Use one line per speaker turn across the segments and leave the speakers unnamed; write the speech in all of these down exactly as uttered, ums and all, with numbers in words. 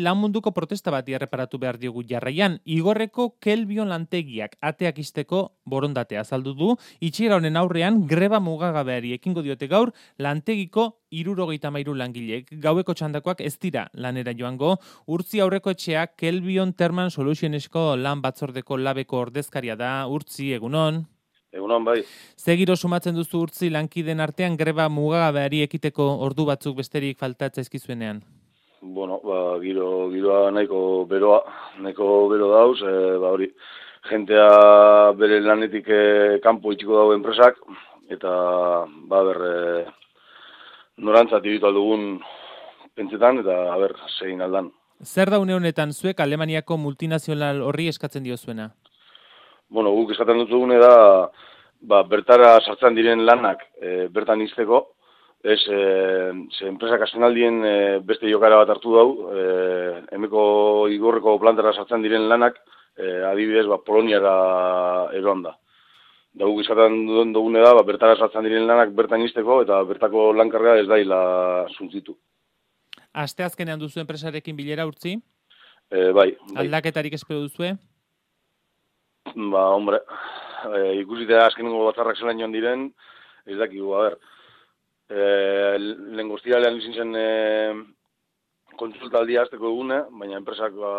Lan munduko protesta bati erreparatu behar diogu jarraian, Igorreko Kelbion lantegiak ateak isteko borondatea azaldu du, itxiera honen aurrean greba mugagabeari ekingo diote gaur lantegiko hirurogeita hamairu langilek. Gaueko txandakoak ez dira lanera joango, Urtzi aurreko etxeak Kelbion Thermal Solutionesko lan batzordeko labeko ordezkaria da. Urtzi, egunon.
Egunon, bai.
Ze giro sumatzen duzu Urtzi lankideen artean greba mugagabeari ekiteko ordu batzuk besterik faltatza ezkizuenean?
Bueno, ba, giro, giroa nahiko beroa, nahiko bero dauz, e, ba, hori, jentea bere lanetik e, kanpo itxiko dago enpresak, eta, ba, ber, e, norantzat iritu aldugun pentsetan, eta, ber, segin aldan.
Zer da une honetan zuek Alemaniako multinazional horri eskatzen diozuena?
Bueno, guk eskatzen dutugune da, ba, bertara sartzen diren lanak e, bertan izteko, ez, e, ze enpresak azkenaldien e, beste jokara bat hartu dau, e, emeko Igorreko plantara sartzen diren lanak, e, adibidez, ba, Poloniara eroan da. Da guk eskatzen dugune da, ba, bertara sartzen diren lanak bertan izteko, eta bertako lankarga ez daila zuntzitu.
Aste azkenean duzu enpresarekin bilera, Urtzi?
E, bai, bai.
Aldaketarik espero duzue?
Ba, hombre, e, ikusita azkenengo batzarrak zelan joan diren, ez dakigu, a ber, e, lehen guztialean izin zen e, kontsultaldia azteko egune, baina enpresak ba,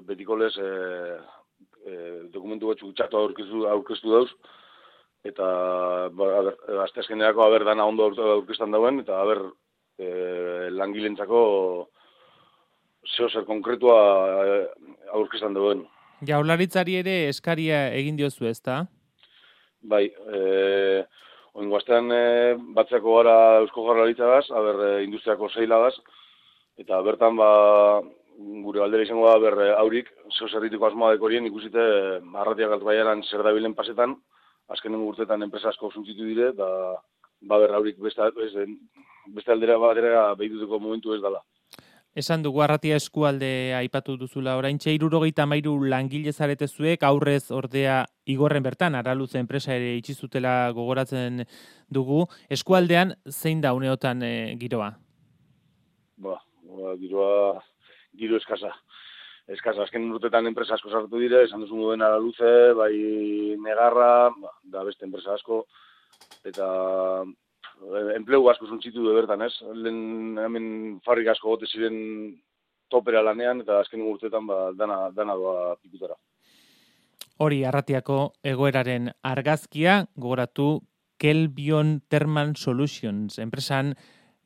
betiko lez e, e, dokumentu batzu txatu aurkeztu, aurkeztu dauz, eta ba, a ber, azte azkenerako a ber, dana ondo aurkeztan dauen, eta a ber, e, langilentzako zeo zer konkretua aurkeztan dauen.
Jaurlaritzari ere eskaria egin diozu, ezta?
Bai, eh, oingo astean e, batzeko gara Eusko Jaurlaritzagaz, aber e, industriako zeilagaz, eta bertan ba, gure galdera izango da ber aurik, zeo zerritiko asmoa dekorien ikusite arratiak altbaiaran zer dabilen pasetan, azkenen urtetan enpresa asko zuntzitu dire, eta ba, ber aurik beste, beste aldera batera behituteko momentu ez dela.
Esan dugu Arratia eskualde aipatu duzula oraintxe hirurogeita hamairu langile zarete zuek, aurrez ordea Igorren bertan Araluze enpresa ere itxi zutela gogoratzen dugu. Eskualdean zein da uneotan e, giroa?
Ba, ba, giroa giro eskasa. Eskasa, azken urtetan enpresa asko sartu dire, esan duzu moduen Araluze, bai Negarra, ba, da beste enpresa asko, eta enplegu asko zuntzitu du bertan, ez? Lehen hemen fabrika asko gote ziren topera lanean, eta azken urteetan ba, dana, dana doa pikutara.
Hori Arratiako egoeraren argazkia, gogoratu Kelbion Thermal Solutions, enpresan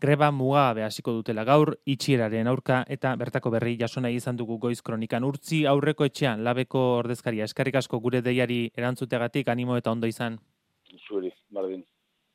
greba mugagabe hasiko dutela gaur, itxieraren aurka, eta bertako berri jasona izan dugu Goiz Kronikan. Urtzi aurreko etxean, labeko ordezkaria, eskerrik asko gure deiari erantzuteagatik, animo eta ondo izan.
Zueri, bardin.